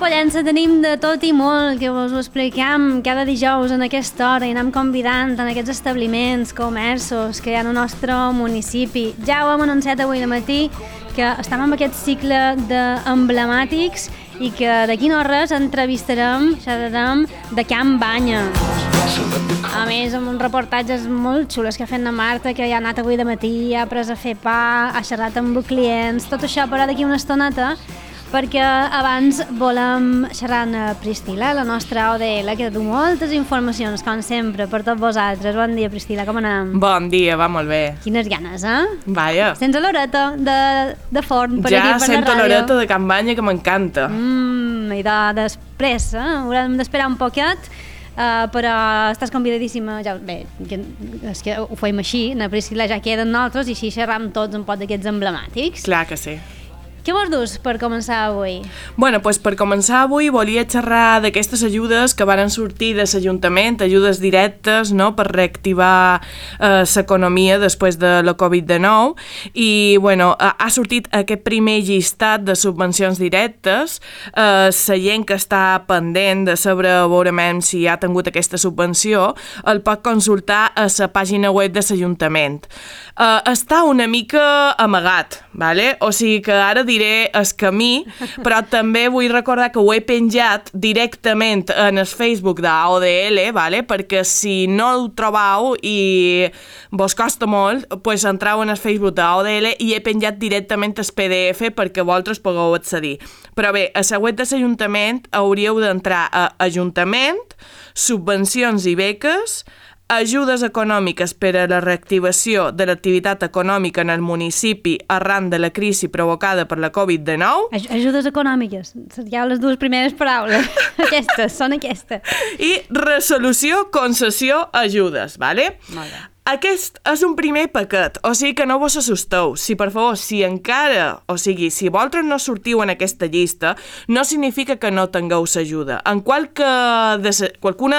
Pollença tenim de tot i molt, que us ho expliquem cada dijous en aquesta hora i anem convidant en aquests establiments, comerços que hi ha al nostre municipi. Ja ho hem anunciat avui al matí, que estem en aquest cicle d'emblemàtics i que d'aquí no res entrevistarem, xerrarem de Can Banya. A més, amb uns reportatges molt xulos que ha fet la Marta, que ja ha anat avui de matí, ha pres a fer pa, ha xerrat amb clients, tot això però d'aquí una estoneta, perquè abans volem xerrar amb Priscila, la nostra ODL, que du moltes informacions, com sempre, per tots vosaltres. Bon dia, Priscila, com anem? Bon dia, va molt bé. Quines ganes, eh? Vaja. Sents l'horeta de forn per aquí, per la ràdio? Ja sento l'horeta de Can Banya, que m'encanta. I després, haurem d'esperar un poquet, però estàs convidadíssima. Ja, bé, és que ho fem així, la Priscila ja queda amb nosaltres i així xerram tots un pot d'aquests emblemàtics. Clar que sí. Què vols dur per començar avui? Bueno, doncs per començar avui volia xerrar d'aquestes ajudes que van sortir de l'Ajuntament, ajudes directes, no?, per reactivar l'economia després de la Covid-19 i, bueno, ha sortit aquest primer llistat de subvencions directes. La gent que està pendent de saber veurement si ha tingut aquesta subvenció el pot consultar a la pàgina web de l'Ajuntament. Està una mica amagat, ¿vale? O sigui que ara diré el camí, però també vull recordar que ho he penjat directament en el Facebook d'AODL, ¿vale? Perquè si no ho trobeu i vos costa molt, pues entrau en el Facebook d'AODL i he penjat directament el PDF perquè vosaltres pugueu accedir. Però bé, a la web de l'Ajuntament hauríeu d'entrar a Ajuntament, subvencions i beques, ajudes econòmiques per a la reactivació de l'activitat econòmica en el municipi arran de la crisi provocada per la Covid-19. Ajudes econòmiques, ja les dues primeres paraules, són aquestes. I resolució, concessió, ajudes, ¿vale? Molt bé. Aquest és un primer paquet, o sigui que no vos assusteu. Si, per favor, si vosaltres no sortiu en aquesta llista, no significa que no tingueu l'ajuda. En qualcuna de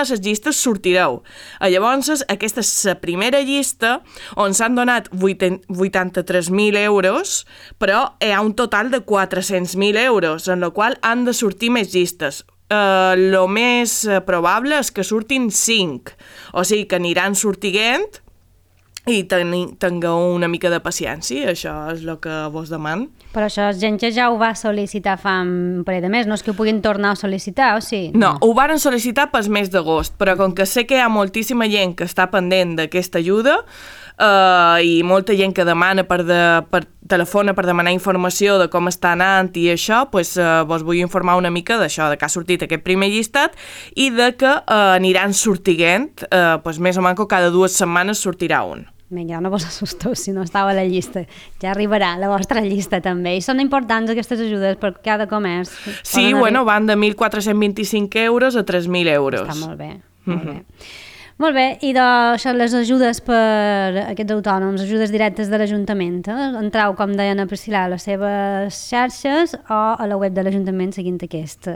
les llistes sortireu. Llavors, aquesta és la primera llista on s'han donat 83.000 euros, però hi ha un total de 400.000 euros, en la qual han de sortir més llistes. Lo més probable és que surtin 5, o sigui que aniran sortint i tingueu una mica de paciència, això és el que vos deman. Però això és gent que ja ho va sol·licitar fa un parell de mesos, no és que ho puguin tornar a sol·licitar, o sí? No, ho varen sol·licitar pel mes d'agost, però com que sé que hi ha moltíssima gent que està pendent d'aquesta ajuda i molta gent que demana telefona per demanar informació de com està anant i això, doncs vos vull informar una mica d'això, de que ha sortit aquest primer llistat i de que aniran sortint, més o menys cada 2 setmanes sortirà un. Vinga, no vos assusteu si no estava a la llista. Ja arribarà la vostra llista també. I són importants aquestes ajudes per cada comerç. Sí, bueno, van de 1.425 euros a 3.000 euros. Està molt bé, molt bé. Molt bé, i doncs les ajudes per aquests autònoms, ajudes directes de l'Ajuntament, entrau, com deien a Priscila, a les seves xarxes o a la web de l'Ajuntament seguint aquest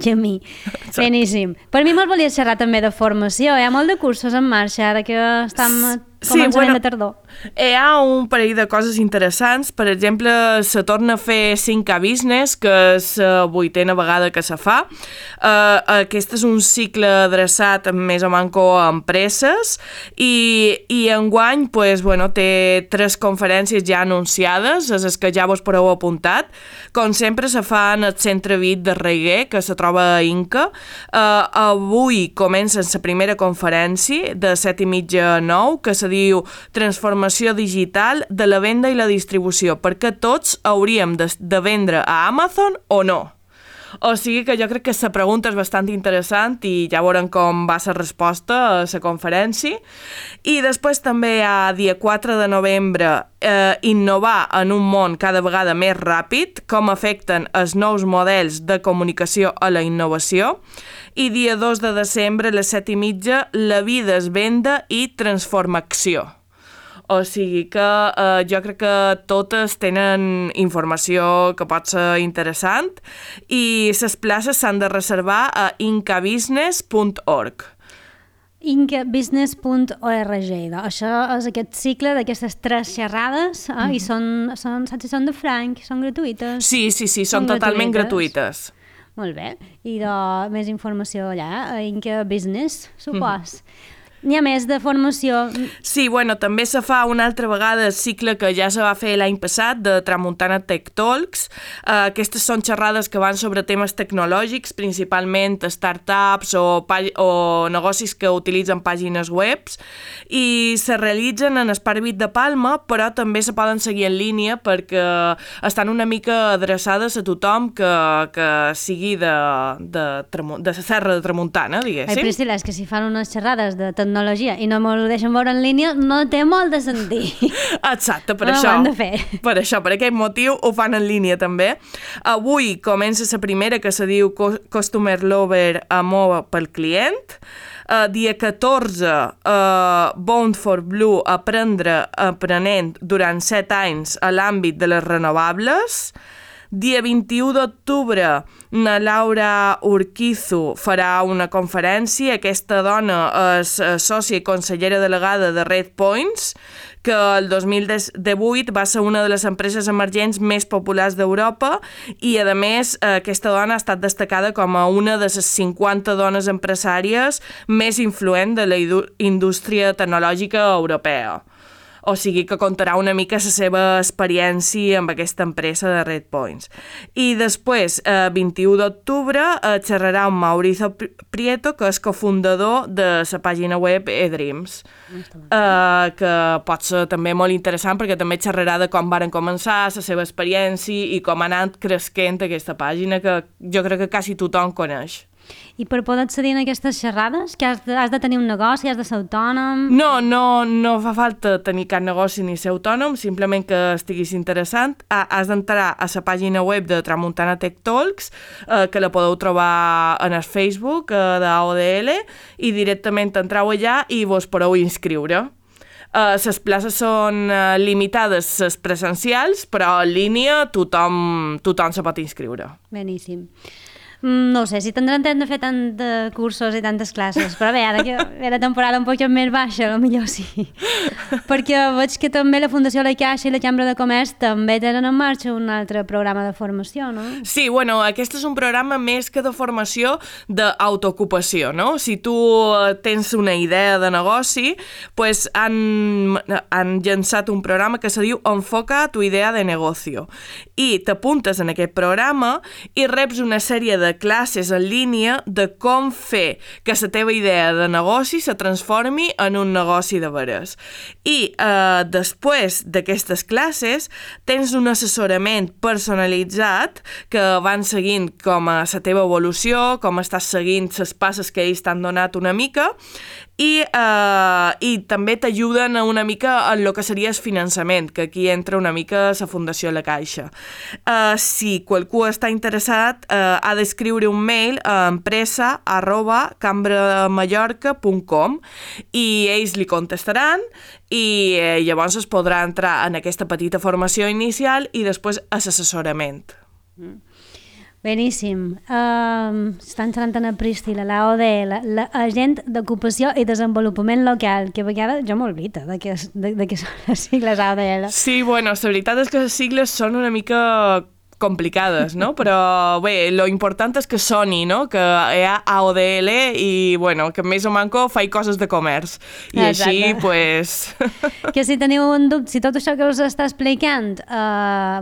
camí. Exacte. Beníssim. Per mi me'ls volia xerrar també de formació, hi ha molt de cursos en marxa ara que estem començament de tardor. Hi ha un parell de coses interessants. Per exemple, se torna a fer 5K Business, que és la 8a vegada que se fa. Aquest és un cicle adreçat més o menys a empreses i enguany té 3 conferències ja anunciades, les que ja vos podeu apuntat. Com sempre se fa en el Centre Vit de Reguer, que se troba a Inca. Avui comença la primera conferència de 7:30 a 9, que se diu Transformació digital de la venda i la distribució, perquè tots hauríem de vendre a Amazon o no. O sigui que jo crec que la pregunta és bastant interessant i ja veurem com va la resposta a la conferència. I després també a dia 4 de novembre innovar en un món cada vegada més ràpid, com afecten els nous models de comunicació a la innovació. I dia 2 de desembre a les 7:30 la vida es venda i transformació. O sigui que jo crec que totes tenen informació que pot ser interessant i les places s'han de reservar a incabusiness.org. incabusiness.org. Això és aquest cicle d'aquestes 3 xerrades i són de franc, són gratuïtes. Sí, són totalment gratuïtes. Molt bé. I de més informació allà, a Inca Business, supos. N'hi ha més de formació? Sí, bueno, també se fa una altra vegada el cicle que ja se va fer l'any passat de Tramuntana Tech Talks. Aquestes són xerrades que van sobre temes tecnològics, principalment startups o negocis que utilitzen pàgines webs, i se realitzen en Esparvit de Palma, però també se poden seguir en línia perquè estan una mica adreçades a tothom que sigui de la Serra de Tramuntana, diguéssim. Ai, Priscila, és que si fan unes xerrades de tecnologia i no m'ho deixen veure en línia, no té molt de sentit. Exacte, per no això. Ho han de fer. Per això, per aquest motiu, ho fan en línia també. Avui comença la primera, que se diu Customer Lover, amor pel client. Dia 14, Bound for Blue, aprenent durant 7 anys a l'àmbit de les renovables. Dia 21 d'octubre, na Laura Urquizu farà una conferència. Aquesta dona és sòcia i consellera delegada de Red Points, que el 2018 va ser una de les empreses emergents més populars d'Europa i, a més, aquesta dona ha estat destacada com a una de les 50 dones empresàries més influents de la indústria tecnològica europea. O sigui que contarà una mica la seva experiència amb aquesta empresa de Red Points. I després, 21 d'octubre, xerrarà amb Mauricio Prieto, que és cofundador de la pàgina web eDreams, que pot ser també molt interessant perquè també xerrarà de com varen començar, la seva experiència i com ha anat creixent aquesta pàgina, que jo crec que quasi tothom coneix. I per poder accedir a aquestes xerrades, que has de tenir un negoci, has de ser autònom? No fa falta tenir cap negoci ni ser autònom, simplement que estiguis interessant. Has d'entrar a la pàgina web de Tramuntana Tech Talks, que la podeu trobar en el Facebook d'AODL, i directament entreu allà i vos podeu inscriure. Les places són limitades, les presencials, però en línia tothom se pot inscriure. Beníssim. No sé si tindran temps de fer tant de cursos i tantes classes, però bé, ara que ve la temporada un poc més baixa, potser sí. Perquè veig que també la Fundació La Caixa i la Cambra de Comerç també tenen en marxa un altre programa de formació, no? Sí, bueno, aquest és un programa més que de formació d'autoocupació, no? Si tu tens una idea de negoci, pues han llançat un programa que se diu Enfoca tu idea de negocio. I t'apuntes en aquest programa i reps una sèrie de classes en línia de com fer que la teva idea de negoci se transformi en un negoci de veres. I després d'aquestes classes tens un assessorament personalitzat que van seguint com a la teva evolució, com estàs seguint les passes que ells t'han donat una mica, i també t'ajuden una mica en el que seria el finançament, que aquí entra una mica la Fundació La Caixa. Si qualcú està interessat, ha d'escriure un mail a empresa@cambramallorca.com i ells li contestaran i llavors es podrà entrar en aquesta petita formació inicial i després a l'assessorament. Beníssim. Estan xerrant a Priscila, l'AODL, l'agent d'ocupació i desenvolupament local, que a vegades jo m'oblido de què són les sigles AODL. Sí, bueno, la veritat és que les sigles són una mica complicades, no? Però bé, lo important és que soni, no? Que hi ha AODL i, bueno, que més o manco faig coses de comerç. I així, pues... Que si teniu un dubte, si tot això que us està explicant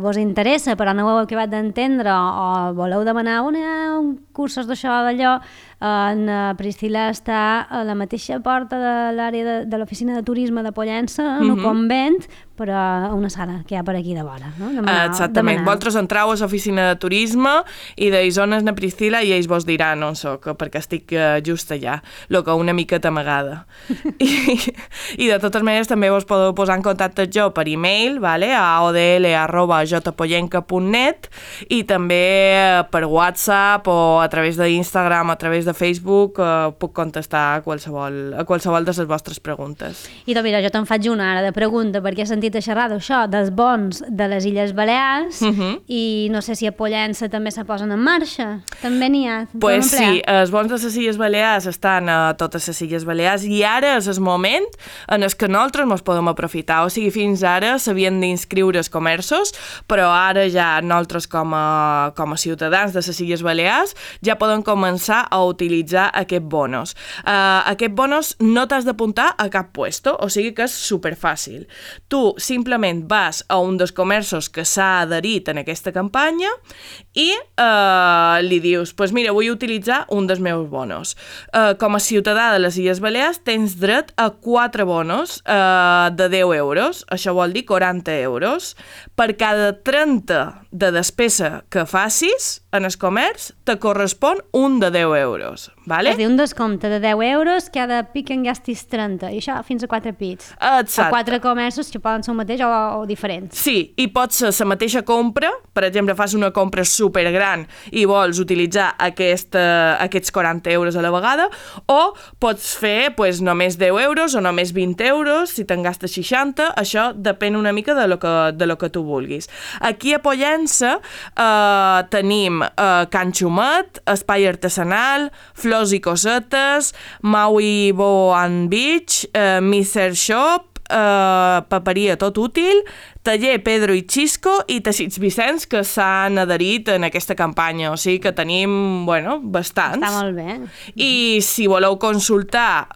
vos interessa, però no ho heu acabat d'entendre o voleu demanar un cursos d'això o d'allò, en Priscila està a la mateixa porta de l'àrea de l'oficina de turisme de Pollença, en un convent, però a una sala que hi ha per aquí de vora. No? Exactament. Vosaltres entreu a l'oficina de turisme i d'ells on és na Priscila i ells vos diran on soc, perquè estic just allà, el que una miqueta amagada. I de totes maneres també vos podeu posar en contacte jo per e-mail, vale? A odl@jpollenca.net, i també per WhatsApp o a través d'Instagram, a través través de Facebook puc contestar a qualsevol de les vostres preguntes. I doncs mira, jo te'n faig una ara de pregunta, perquè he sentit a xerrar d'això, dels bons de les Illes Balears, i no sé si a Pollença també se posen en marxa. També n'hi ha. Pues sí, els bons de les Illes Balears estan a totes les Illes Balears i ara és el moment en el que nosaltres ens podem aprofitar. O sigui, fins ara s'havien d'inscriure els comerços, però ara ja nosaltres com a ciutadans de les Illes Balears ja poden començar a utilitzar aquests bonos. Aquests bonos no t'has d'apuntar a cap puesto, o sigui que és superfàcil. Tu simplement vas a un dels comerços que s'ha adherit en aquesta campanya i li dius, pues mira, vull utilitzar un dels meus bonos. Com a ciutadà de les Illes Balears tens dret a 4 bonos de 10 euros, això vol dir 40 euros. Per cada 30 de despesa que facis en el comerç, te correspon un de 10 euros. Vale? És a dir, un descompte de 10 euros, cada pic en gastis 30, i això fins a 4 pits. Exacte. A 4 comerços que poden ser el mateix o diferents. Sí, i pot ser la mateixa compra, per exemple, fas una compra supergran i vols utilitzar aquests 40 euros a la vegada, o pots fer pues, només 10 euros o només 20 euros, si te'n gastes 60, això depèn una mica de lo que tu vulguis. Aquí a Pollença tenim Can Xumet, Espai Artesanal, Flors i Cosetes, Maui Bow and Beach, Miser Shop, Paperia Tot Útil, Taller Pedro i Xisco i Teixits Vicenç, que s'han adherit en aquesta campanya, o sigui que tenim, bueno, bastants. Està molt bé. I si voleu consultar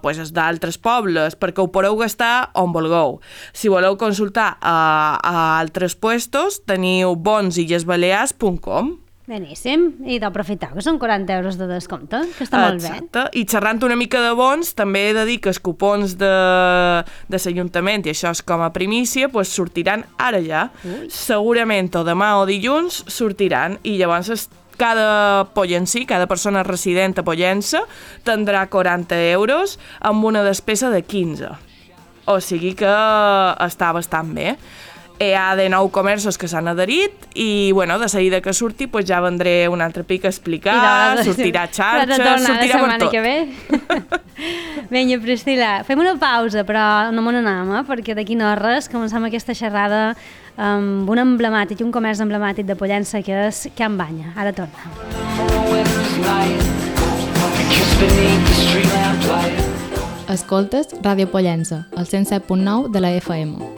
pues, els d'altres pobles, perquè ho podeu gastar on vulgueu. Si voleu consultar a altres puestos, teniu bonsillesbalears.com. Beníssim, i d'aprofitar, que són 40 euros de descompte, que està molt bé. Exacte, i xerrant una mica de bons, també he de dir que els cupons de l'Ajuntament, i això és com a primícia, pues sortiran ara ja. Segurament o demà o dilluns sortiran, i llavors cada pollencí, cada persona resident a Pollença, tindrà 40 euros amb una despesa de 15. O sigui que està bastant bé. Hi ha de 9 comerços que s'han adherit i, bueno, de seguida que surti, pues ja vendré un altre pic a explicar, sortirà xarxes, sortirà per tot. Que ve. Vinga, Priscila, fem una pausa, però no me n'anem, perquè d'aquí no res començam aquesta xerrada amb un emblemàtic, un comerç emblemàtic de Pollença, que és Can Banya. Ara torna. Escoltes Ràdio Pollença, el 107.9 de la FM.